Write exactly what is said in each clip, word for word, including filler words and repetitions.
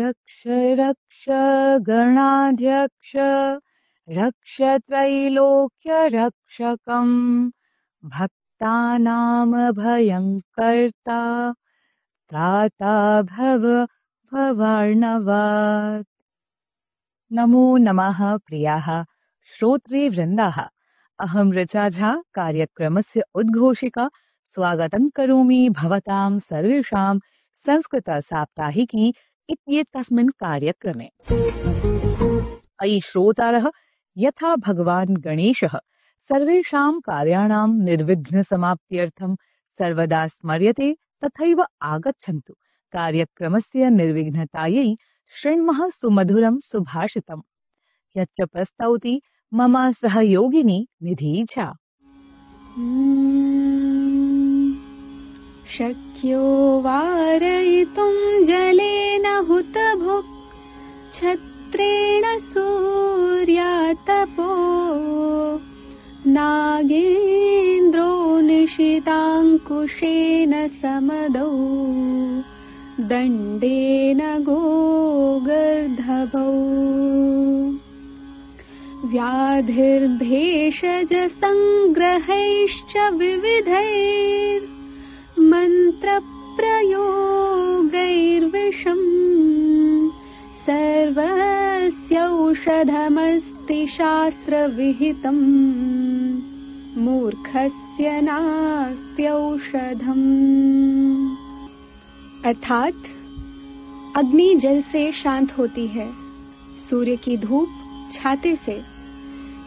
रक्ष रक्ष गणाध्यक्ष रक्ष त्रैलोक्य रक्षकम् भक्तानां भयङ्कर्ता त्राता भव भवार्णवात्। नमो नमः प्रियाः श्रोतृवृन्दाः, अहं ऋचा झा कार्यक्रमस्य उद्घोषिका स्वागतं करोमि भवतां सर्वेषां संस्कृतसाप्ताहिकी इत्येतस्मिन् कार्यक्रमे। अयि श्रोतारः, यथा भगवान् गणेशः सर्वेषां कार्याणां निर्विघ्नसमाप्त्यर्थं सर्वदा स्मर्यते तथैव आगच्छन्तु कार्यक्रमस्य निर्विघ्नतायै शृण्मः सुमधुरं सुभाषितम्, यच्च प्रस्तौति मम सहयोगिनी निधि झा। शक्यो वारयितुं जलेन हुतभुक् छत्रेण सूर्यातपो नागेन्द्रो निशिताङ्कुशेन समदौ दण्डेन गोगर्धभौ व्याधिर्भेषजसङ्ग्रहैश्च विविधैर्मन्त्रप्रयोगैर्विषम् सर्वस्यौषधमस्ति शास्त्रविहितम् मूर्खस्य नास्त्यौषधम्। अर्थात अग्नि जल से शांत होती है, सूर्य की धूप छाते से,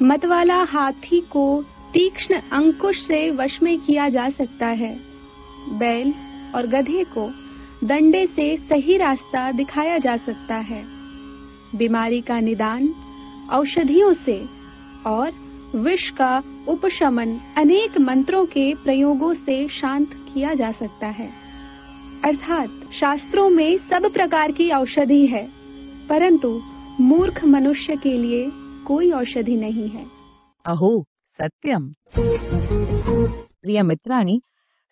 मतवाला हाथी को तीक्ष्ण अंकुश से वश में किया जा सकता है, बैल और गधे को दंडे से सही रास्ता दिखाया जा सकता है, बीमारी का निदान औषधियों से और विष का उपशमन अनेक मंत्रों के प्रयोगों से शांत किया जा सकता है। अर्थात शास्त्रों में सब प्रकार की औषधि है, परंतु मूर्ख मनुष्य के लिए कोई औषधि नहीं है। अहो सत्यम्। प्रिय मित्राणि,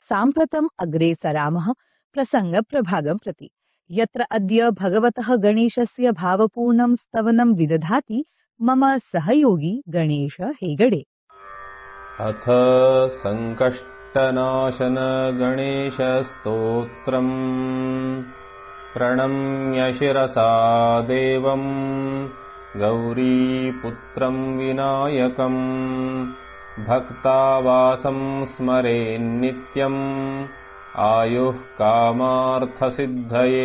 साम्प्रतम् अग्रे सरामः प्रसङ्गप्रभागं प्रति, यत्र अद्य भगवतः गणेशस्य भावपूर्णं स्तवनं विदधाति मम सहयोगी गणेश हेगडे। अथ संकष्टनाशन गणेश स्तोत्रम् प्रणम्य शिरसा देवम् गौरीपुत्रं विनायकम् भक्तावासं स्मरेन्नित्यम् आयुः कामार्थसिद्धये।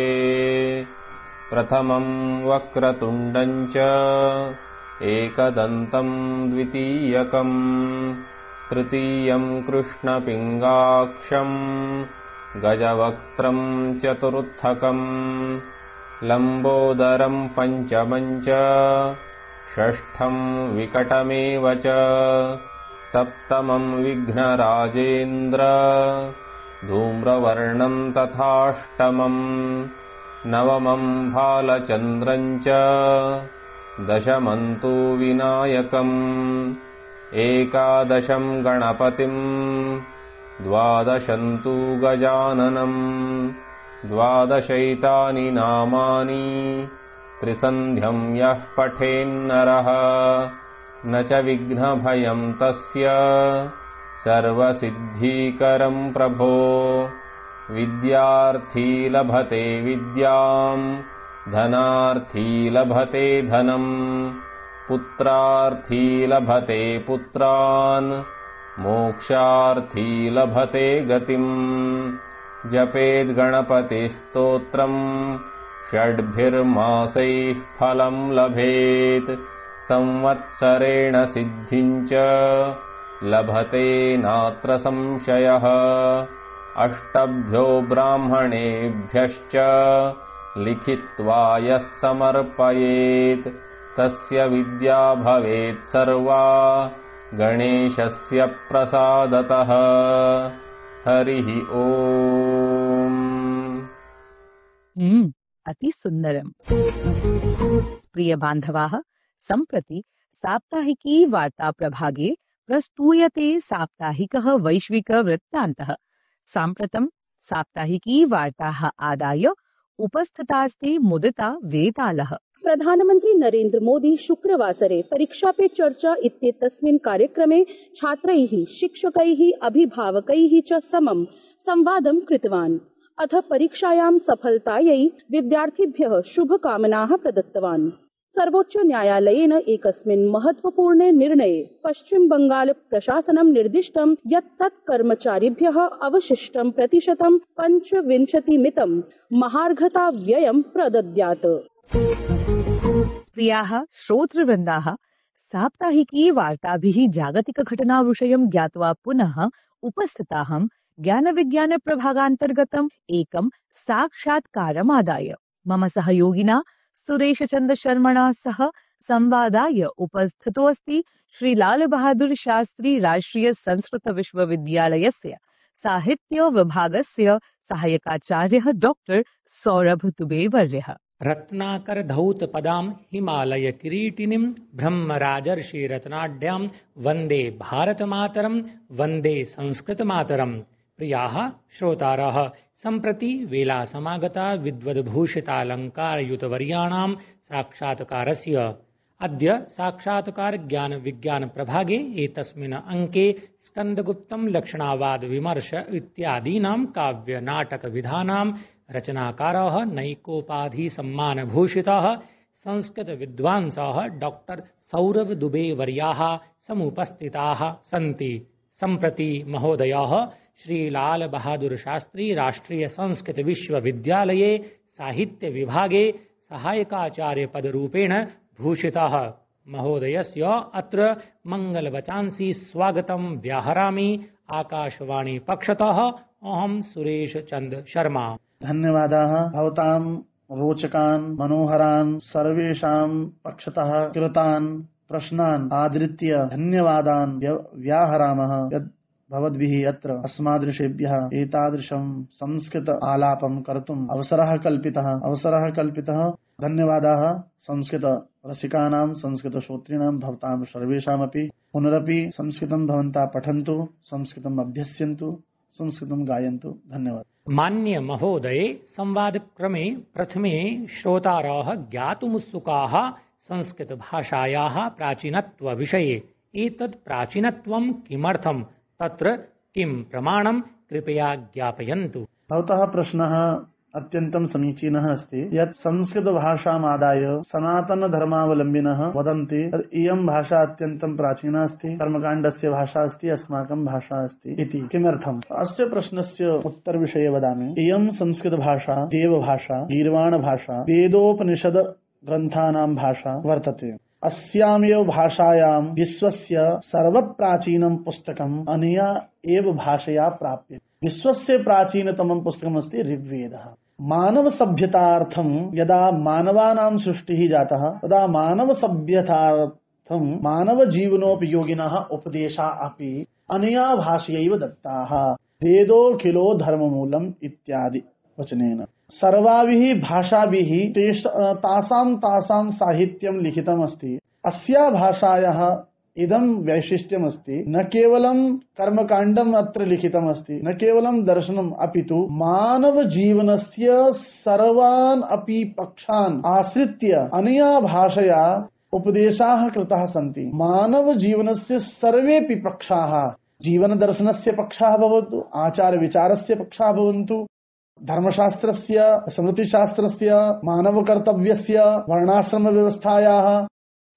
प्रथमं वक्रतुण्डं च एकदन्तं द्वितीयकम् तृतीयं कृष्णपिङ्गाक्षं गजवक्त्रं चतुर्थकम् लम्बोदरं पञ्चमं च षष्ठं विकटमेव च सप्तमं विघ्नराजेन्द्र धूम्रवर्णं तथाष्टमम् नवमं भालचन्द्रं च दशमं तु विनायकम् एकादशं गणपतिं द्वादशं तु गजाननम् द्वादशैतानि नामानि त्रिसन्ध्यं यः पठेन्नरः न च विघ्नभयं तस्य सर्वसिद्धिकरं प्रभो। विद्यार्थी लभते विद्याम् धनार्थी लभते धनम् पुत्रार्थी लभते पुत्रान् मोक्षार्थी लभते गतिम्। जपेद् गणपतिस्तोत्रम् षड्भिर्मासैः फलं लभेत् संवत्सरेण सिद्धिम् च लभते नात्र संशयः। अष्टभ्यो ब्राह्मणेभ्यश्च लिखित्वा यः समर्पयेत् तस्य विद्या भवेत् सर्वा गणेशस्य प्रसादतः। हरिः ओम्। हम्म अति सुन्दरम्। प्रिय बान्धवाः, सम्प्रति साप्ताहिकी वार्ता प्रभागे प्रस्तूयते साप्ताहिकः वैश्विक वृत्तान्तः। साम्प्रतं साप्ताहिकी वार्ताः आदाय उपस्थितास्ति मुदिता वेतालः। प्रधानमन्त्री नरेन्द्र मोदी शुक्रवासरे परीक्षा पे चर्चा इत्येतस्मिन् कार्यक्रमे छात्रैः, शिक्षकैः, अभिभावकैः च समं संवादं कृतवान्। अथ परीक्षायां सफलतायै विद्यार्थिभ्यः शुभकामनाः प्रदत्तवान्। सर्वोच्च न्यायालयेन एकस्मिन् महत्वपूर्णे निर्णये पश्चिम बंगाल प्रशासनं निर्दिष्टं यत् तत् कर्मचारिभ्यः अवशिष्टं प्रतिशतं पञ्चविंशतिमितं महार्घताव्ययं प्रदद्यात्। प्रियाः श्रोतृवृन्दाः, साप्ताहिकी वार्ताभिः जागतिकघटनाविषयं ज्ञात्वा पुनः उपस्थिताहं ज्ञानविज्ञान प्रभागान्तर्गतम् एकं साक्षात्कारमादाय। मम सहयोगिना सुरेशचन्द्र शर्मणा सह संवादाय उपस्थितोऽस्ति श्री लाल बहादुर शास्त्री राष्ट्रिय संस्कृत विश्वविद्यालयस्य साहित्य विभागस्य सहायकाचार्यः डॉक्टर सौरभ दुबे वर्यः। रत्नाकर धौत पदां हिमालय किरीटिनीं ब्रह्मराजर्षि रत्नाढ्यां वन्दे भारतमातरं वन्दे संस्कृतमातरम्। प्रियाः श्रोतारः, सम्प्रति वेला समागता विद्वद्भूषितालङ्कारयुतवर्याणां साक्षात्कारस्य। अद्य साक्षात्कार ज्ञान विज्ञान प्रभागे एतस्मिन् अंके स्कन्दगुप्तं लक्षणावाद विमर्श इत्यादीनां काव्य नाटक विधानां रचनाकारः नैकोपाधि सम्मानभूषितः संस्कृत विद्वांसः डॉक्टर सौरभ दुबे वर्याः समुपस्थिताः सन्ति। सम्प्रति महोदयः श्री लाल बहादुर शास्त्री राष्ट्रिय संस्कृत विश्वविद्यालये साहित्य विभागे सहायकाचार्य पदरूपेण भूषितः। महोदयस्य अत्र मंगलवचांसि स्वागतं व्याहरामि। आकाशवाणी पक्षतः अहं सुरेश चन्द्र शर्मा। धन्यवादाः। भवतां रोचकान् मनोहरान् सर्वेषां पक्षतः कृतान् प्रश्नान् आदृत्य धन्यवादान् व्याहरामः। यद् भवद्भिः अत्र अस्मादृशेभ्यः एतादृशं संस्कृत आलापं कर्तुम् अवसरः कल्पितः अवसरः कल्पितः धन्यवादाः संस्कृत रसिकानां संस्कृत श्रोतॄणां भवतां सर्वेषामपि। पुनरपि संस्कृतं भवन्तः पठन्तु, संस्कृतम् अभ्यस्यन्तु, संस्कृतं गायन्तु। धन्यवाद। मान्य महोदये, संवादक्रमे प्रथमे श्रोतारः ज्ञातुमुत्सुकाः संस्कृत भाषायाः प्राचीनत्व विषये। एतत् प्राचीनत्वं किमर्थं, तत्र किं प्रमाणं, कृपया ज्ञापयन्तु। भवतः प्रश्नः अत्यन्तं समीचीनः अस्ति। यत् संस्कृतभाषामादाय सनातनधर्मावलम्बिनः वदन्ति यत् इयं भाषा अत्यन्तं प्राचीना अस्ति, कर्मकाण्डस्य भाषा अस्ति, अस्माकं भाषा अस्ति इति। किमर्थम्? अस्य प्रश्नस्य उत्तरविषये वदामि। इयं संस्कृतभाषा देवभाषा, गीर्वाणभाषा, वेदोपनिषद ग्रन्थानां भाषा वर्तते। अस्यामेव भाषायां विश्वस्य सर्वप्राचीनं पुस्तकम् अनया एव भाषया प्राप्यते। विश्वस्य प्राचीनतमं पुस्तकमस्ति ऋग्वेदः। मानव सभ्यतार्थं यदा मानवानां सृष्टिः जातः तदा मानव सभ्यतार्थं मानव जीवनोपयोगिनः उपदेशाः अपि अनया भाषयैव दत्ताः। वेदोऽखिलो धर्ममूलम् इत्यादि वचनेन सर्वाभिः भाषाभिः तासां तासां साहित्यं लिखितम् अस्ति। अस्या भाषायाः इदं वैशिष्ट्यमस्ति, न केवलं कर्मकाण्डम् अत्र लिखितम् अस्ति, न केवलं दर्शनम्, अपि तु मानव जीवनस्य सर्वान् अपि पक्षान् आश्रित्य अनया भाषया उपदेशाः कृताः सन्ति। मानव जीवनस्य सर्वेपि पक्षाः, जीवन दर्शनस्य पक्षाः भवन्तु, आचार विचारस्य पक्षाः भवन्तु, धर्मशास्त्रस्य, स्मृतिशास्त्रस्य, मानवकर्तव्यस्य, वर्णाश्रम व्यवस्थायाः,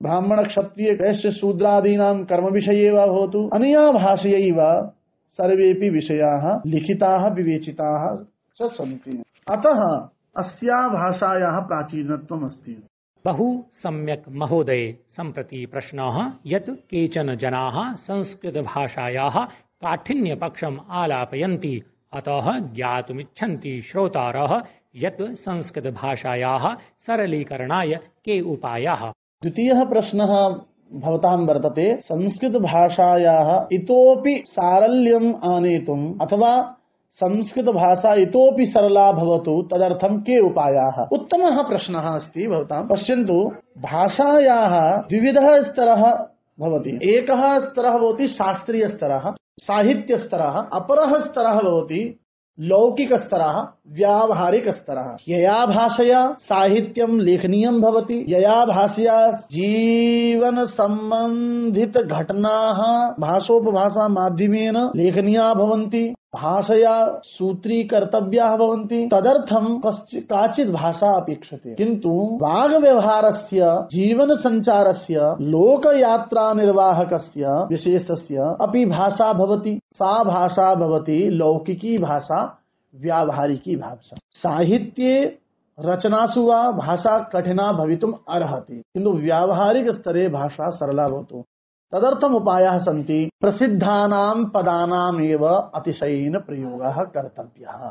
ब्राह्मण क्षत्रिय वैश्य शूद्रादीनां कर्मविषये वा भवतु, अनया भाषयैव सर्वेपि विषयाः लिखिताः विवेचिताः च सन्ति। अतः अस्या भाषायाः प्राचीनत्वम् अस्ति। बहु सम्यक् महोदय। सम्प्रति प्रश्नः यत् केचन जनाः संस्कृतभाषायाः काठिन्यपक्षम् आलापयन्ति, अतः ज्ञातुमिच्छन्ति श्रोतारः यत् संस्कृतभाषायाः सरलीकरणाय के उपायाः। द्वितीयः प्रश्नः भवतां वर्तते, संस्कृतभाषायाः इतोपि सारल्यम् आनेतुम् अथवा संस्कृतभाषा इतोपि सरला भवतु तदर्थं के उपायाः। उत्तमः प्रश्नः अस्ति भवतां। पश्यन्तु, भाषायाः द्विविधः स्तरः भवति। एकः स्तरः भवति शास्त्रीयस्तरः, साहित्यस्तरः, अपरः स्तरः भवति लौकिकस्तरः व्यावहारिकस्तरः। यया भाषया साहित्यं लेखनीयं भवति, यया भाषया जीवन सम्बन्धित घटनाः भाषोपभाषा माध्यमेन लेखनीया भवन्ति, भाषया सूत्रीकर्तव्याः भवन्ति, तदर्थं काचित् भाषा अपेक्षते। किन्तु वाग्व्यवहारस्य, जीवन सञ्चारस्य, लोकयात्रा निर्वाहकस्य विशेषस्य अपि भाषा भवति। सा भाषा भवति लौकिकी भाषा, व्यावहारिकी भाषा। साहित्ये रचनासु वा भाषा कठिना भवितुम् अर्हति, किन्तु व्यावहारिक स्तरे भाषा सरला भवतु। तदर्थम् उपायाः सन्ति। प्रसिद्धानां पदानामेव अतिशयेन प्रयोगः कर्तव्यः।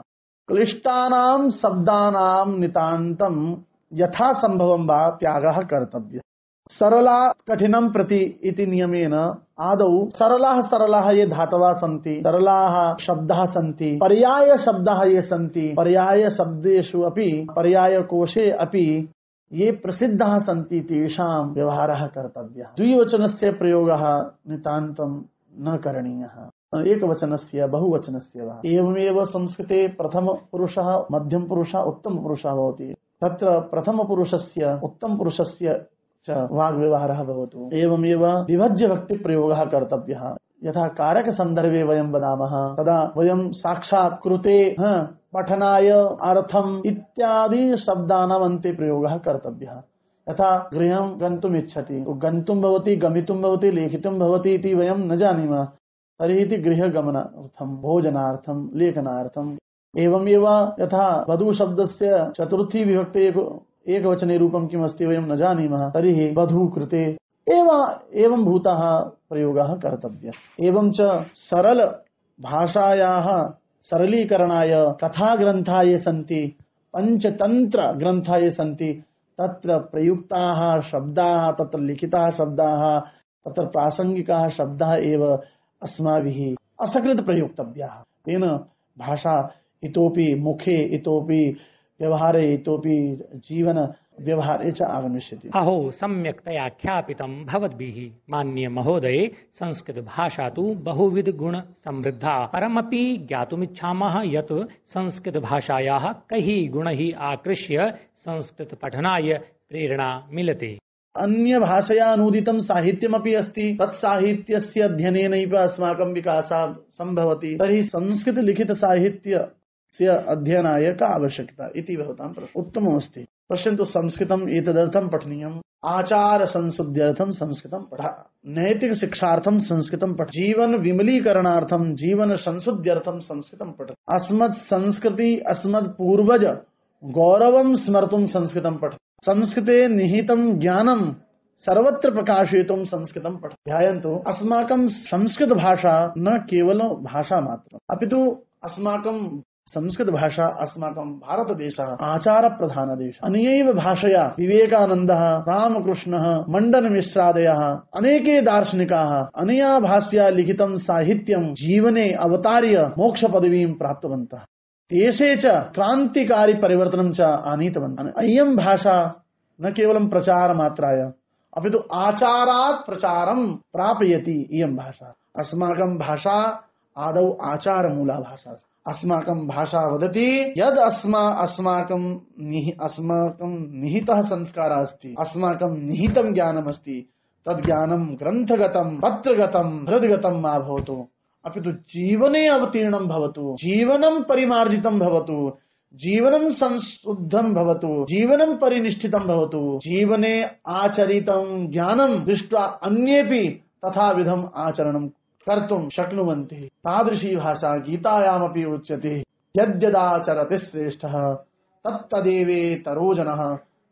क्लिष्टानां शब्दानां नितान्तं यथा संभवं वा त्यागः कर्तव्यः। सरला कठिनं प्रति इति नियमेन आदौ सरलाः सरलाः ये धातवः सन्ति, सरलाः शब्दाः सन्ति, पर्याय शब्दाः ये सन्ति, पर्याय शब्देषु अपि, पर्याय कोशे अपि ये प्रसिद्धाः सन्ति तेषां व्यवहारः कर्तव्यः। द्विवचनस्य प्रयोगः नितान्तं न करणीयः, एकवचनस्य बहुवचनस्य वा। एवमेव संस्कृते प्रथमपुरुषः, मध्यमपुरुषः, उत्तमपुरुषः भवति। तत्र प्रथमपुरुषस्य, उत्तमपुरुषस्य च वाग्व्यवहारः भवतु। एवमेव विभज्य भक्ति प्रयोगः कर्तव्यः। यथा कारकसन्दर्भे वयं वदामः तदा वयं साक्षात् कृते, पठनाय, अर्थम् इत्यादि शब्दानाम् अन्ते प्रयोगः कर्तव्यः। यथा गृहं गन्तुम् इच्छति, गन्तुं भवति, गमितुं भवति, लेखितुं भवति इति वयं न जानीमः, तर्हि इति गृहगमनार्थं, भोजनार्थं, लेखनार्थम्। एवमेव यथा वधूशब्दस्य चतुर्थी विभक्ते एकवचने रूपं किमस्ति वयं न जानीमः, तर्हि वधू कृते एव एवं भूतः प्रयोगः कर्तव्यः। एवं च सरल भाषायाः सरलीकरणाय कथाग्रन्थाः ये सन्ति, पञ्चतन्त्र ग्रन्थाः ये सन्ति, तत्र प्रयुक्ताः शब्दाः, तत्र लिखिताः शब्दाः, तत्र प्रासंगिकाः शब्दाः एव अस्माभिः असकृत् प्रयोक्तव्याः। तेन भाषा इतोपि मुखे, इतोपि व्यवहारे, इतोपि जीवन व्यवहारे च आगमिष्यति। अहो सम्यक्तया ख्यापितं भवद्भिः मान्य महोदये। संस्कृत भाषा तु बहुविध गुण समृद्धा। परमपि ज्ञातुमिच्छामः यत् संस्कृत भाषायाः कैः गुणैः आकृष्य संस्कृत पठनाय प्रेरणा मिलते। अन्य भाषया अनूदितं साहित्यमपि अस्ति, तत् साहित्यस्य अध्ययनेनैव अस्माकं विकासः सम्भवति। तर्हि संस्कृत लिखित साहित्य से अध्ययनाय का आवश्यकता इति भवतां प्रश्नः उत्तममस्ति। पश्यन्तु, संस्कृतम् एतदर्थं पठनीयम्, आचार संशुद्ध्यर्थं संस्कृतं पठ, नैतिक शिक्षार्थं संस्कृतं पठ, जीवन विमलीकरणार्थं, जीवन संशुद्ध्यर्थं संस्कृतं पठ, अस्मत् संस्कृति, अस्मत् पूर्वज गौरवं स्मर्तुं संस्कृतं पठ, संस्कृते निहितं ज्ञानं सर्वत्र प्रकाशयितुं संस्कृतं पठ। ध्यायन्तु, अस्माकं संस्कृत भाषा न केवलं भाषा मात्रम्, अपितु अस्माकं संस्कृत भाषा, अस्माकं भारतदेशः आचार प्रधान देश। अनयैव भाषया विवेकानन्दः, रामकृष्णः, मण्डनमिश्रादयः, अनेके दार्शनिकाः अनया भाषया लिखितं साहित्यं जीवने अवतार्य मोक्ष पदवीं प्राप्तवन्तः। देशे च क्रान्तिकारी परिवर्तनं च आनीतवन्तः। अयं भाषा न केवलं प्रचार मात्राय, अपितु आचारात् प्रचारं प्रापयति। इयं भाषा, अस्माकं भाषा आदौ आचारमूला भाषा। अस्माकं भाषा वदति यद् अस्मा अस्माकं निहि अस्माकं निहितः संस्कारः अस्ति, अस्माकं निहितं ज्ञानम् अस्ति, तद् ज्ञानं ग्रन्थगतं, पत्रगतं, हृद्गतं मा भवतु, अपितु जीवने अवतीर्णं भवतु, जीवनं परिमार्जितं भवतु, जीवनं संशुद्धं भवतु, जीवनं परिनिष्ठितं भवतु, जीवने आचरितं ज्ञानं दृष्ट्वा अन्येपि तथा विधम् आचरणं कर्तुं शक्नुवन्ति। तादृशी भाषा गीतायामपि उच्यते, यद्यदाचरति श्रेष्ठः तत्तदेवेतरो जनः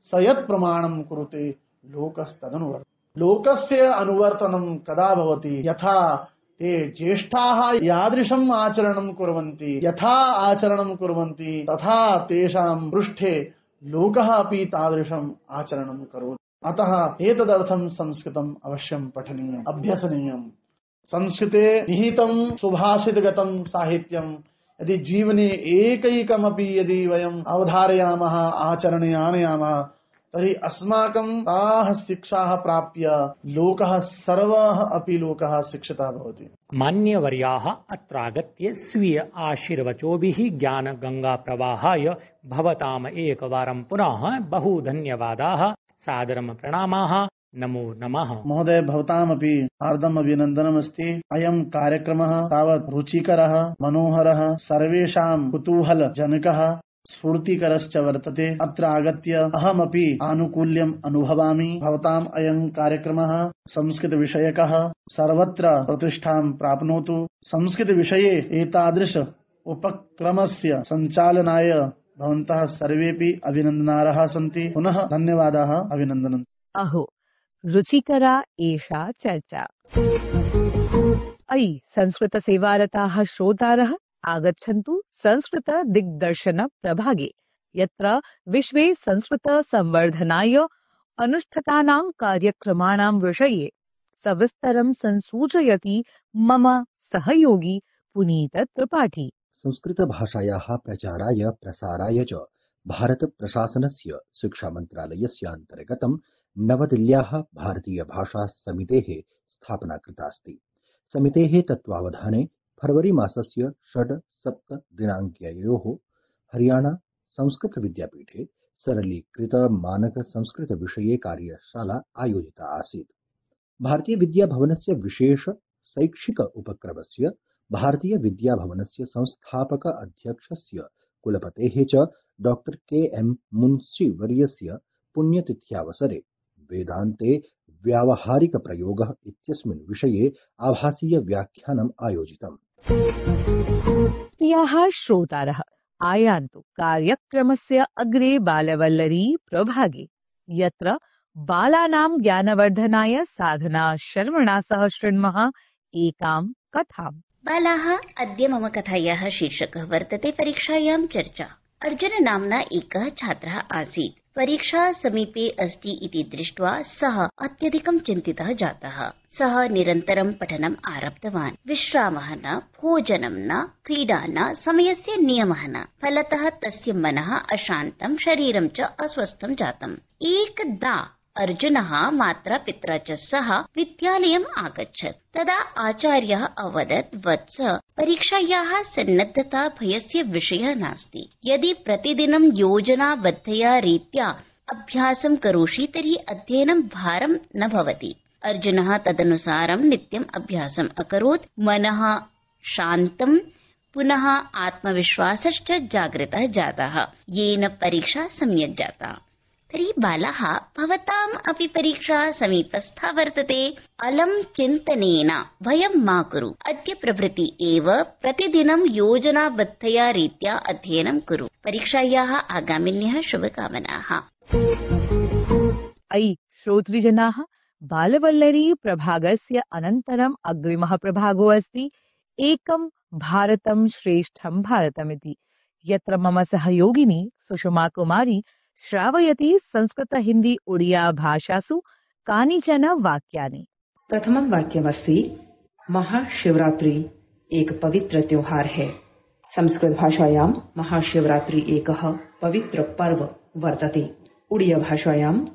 स यत् प्रमाणं कुरुते लोकस्तदनुवर्तते। लोकस्य अनुवर्तनं कदा भवति? यथा ते ज्येष्ठाः यादृशम् आचरणं कुर्वन्ति, यथा आचरणं कुर्वन्ति तथा तेषां पृष्ठे लोकः अपि तादृशम् आचरणं करोति। अतः एतदर्थं संस्कृतम् अवश्यं पठनीयम्, अभ्यसनीयम्। संस्कृते निहितं सुभाषितगतं साहित्यं यदि जीवने एकैकमपि यदि वयम् अवधारयामः, आचरणे आनयामः, तर्हि अस्माकं ताः शिक्षाः प्राप्य लोकः सर्वः अपि लोकः शिक्षितः भवति। मान्यवर्याः अत्रागत्य स्वीय आशीर्वचोभिः ज्ञानगङ्गाप्रवाहाय भवताम् एकवारं पुनः बहु धन्यवादाः, सादरं प्रणामाः, नमो नमः। महोदय, भवतामपि हार्दम् अभिनन्दनमस्ति। अयं कार्यक्रमः तावत् रुचिकरः, मनोहरः, सर्वेषां कुतूहलजनकः, स्फूर्तिकरश्च वर्तते। अत्र आगत्य अहमपि आनुकूल्यम् अनुभवामि। भवताम् अयं कार्यक्रमः संस्कृतविषयकः सर्वत्र प्रतिष्ठां प्राप्नोतु। संस्कृतविषये एतादृश उपक्रमस्य सञ्चालनाय भवन्तः सर्वेपि अभिनन्दनार्हाः सन्ति। पुनः धन्यवादाः, अभिनन्दनम्। अहो, रुचिकरा एषा चर्चा। अयि संस्कृतसेवारताः श्रोतारः, आगच्छन्तु संस्कृत दिग्दर्शन प्रभागे, यत्र विश्वे संस्कृत संवर्धनाय अनुष्ठितानां कार्यक्रमाणां विषये सविस्तरं संसूचयति मम सहयोगी पुनीत त्रिपाठी। संस्कृत भाषायाः प्रचाराय प्रसाराय च भारत प्रशासनस्य शिक्षा मन्त्रालयस्य अन्तर्गतं नवदिल्ल्याः भारतीय भाषा समितेः स्थापना कृता अस्ति। समितेः तत्त्वावधाने फरवरी मासस्य षड् सप्त दिनाङ्कयोः हरियाणा संस्कृत विद्यापीठे सरलीकृत मानक संस्कृत विषये कार्यशाला आयोजिता आसीत्। भारतीय विद्याभवनस्य विशेष शैक्षिक उपक्रमस्य भारतीय विद्याभवनस्य संस्थापक अध्यक्षस्य कुलपतेः च डॉक्टर के एम मुंशी वर्यस्य पुण्यतिथ्यावसरे वेदान्ते व्यावहारिक प्रयोगः इत्यस्मिन् विषये आभासीय व्याख्यानम् आयोजितम्। प्रियाः श्रोतारः, आयान्तु कार्यक्रमस्य अग्रे बालवल्लरी प्रभागे, यत्र बालानां ज्ञानवर्धनाय साधना शर्मणा सह शृण्मः एकां कथाम्। बालाः, अद्य मम कथायाः शीर्षकः वर्तते परीक्षायां चर्चा। अर्जुन नाम्ना एकः छात्रः आसीत्। परीक्षा समीपे अस्ति इति दृष्ट्वा सः अत्यधिकं चिन्तितः जातः। सः निरन्तरं पठनम् आरब्धवान्। विश्रामः न, भोजनं न, क्रीडा न, समयस्य नियमः न। फलतः तस्य मनः अशान्तं, शरीरं च अस्वस्थं जातम्। एकदा अर्जुनः मात्रा पित्रा च सह विद्यालयम् आगच्छत्। तदा आचार्यः अवदत्, वत्स, परीक्षायाः सन्नद्धता भयस्य विषयः नास्ति। यदि प्रतिदिनं योजनाबद्धया रीत्या अभ्यासं करोषि तर्हि अध्ययनं भारं न भवति। अर्जुनः तदनुसारं नित्यम् अभ्यासम् अकरोत्। मनः शान्तं, पुनः आत्मविश्वासश्च जागृतः जातः, येन परीक्षा सम्यक् जाता। तर्हि बालाः, भवताम् अपि परीक्षा समीपस्था वर्तते। अलं चिन्तनेन भयं मा कुरु। अद्य प्रभृति एव प्रतिदिनं योजनाबद्धया रीत्या अध्ययनं कुरु। परीक्षायाः आगामिन्यः शुभकामनाः। अयि श्रोतृजनाः, बालवल्लरी प्रभागस्य अनन्तरम् अग्रिमः प्रभागो अस्ति एकं भारतं श्रेष्ठं भारतमिति, यत्र मम सहयोगिनी सुषमा कुमारी श्रावयति संस्कृत हिंदी उड़िया भाषासु कानिचन वाक्यानि। प्रथमं वाक्यमस्ति, महाशिवरात्रि एक पवित्र त्योहार है। संस्कृत भाषायां महाशिवरात्रि एकः पवित्र पर्व वर्तते। उड़िया भाषायां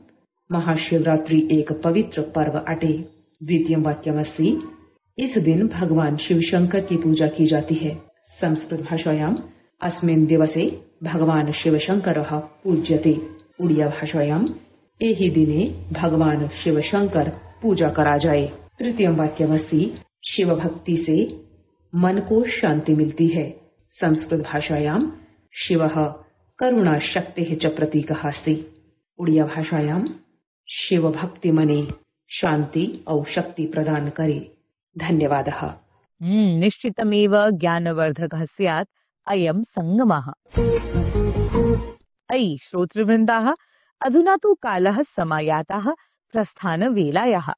महाशिवरात्रि एक पवित्र पर्व अटे। द्वितीयं वाक्यमस्ति, इस दिन भगवान शिव शंकर की पूजा की जाती है। संस्कृत भाषायां अस्मिन् दिवसे भगवान शिव शंकरः पूज्यते। उड़िया भाषायां एहि दिने भगवान शिव शंकर पूजा करा जाए। तृतीयं वाक्यमस्ति, शिव भक्ति से मन को शांति मिलती है। संस्कृत भाषायां शिवः करुणा शक्तेः च प्रतीकः अस्ति। उड़िया भाषायां शिव भक्ति मने शांति औ शक्ति प्रदान करे। धन्यवादः। हम्म, निश्चितमेव ज्ञानवर्धकः स्यात् अयं संगमः। अयि श्रोतृवृन्दाः, अधुना तु कालः समायातः प्रस्थानवेलायाः।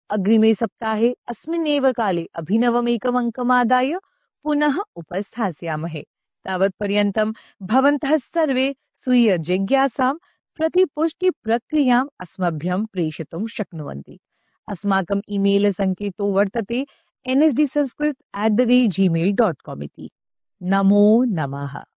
अग्रिमे सप्ताहे अस्मिन्नेव काले अभिनवमेकम् अङ्कमादाय पुनः उपस्थास्यामहे। तावत्पर्यन्तं भवन्तः सर्वे स्वीय जिज्ञासां प्रतिपुष्टिप्रक्रियाम् अस्मभ्यं प्रेषितुं शक्नुवन्ति। अस्माकम् ईमेल सङ्केतो वर्तते N S D Sanskrit at the rate Gmail dot com इति। नमो नमः।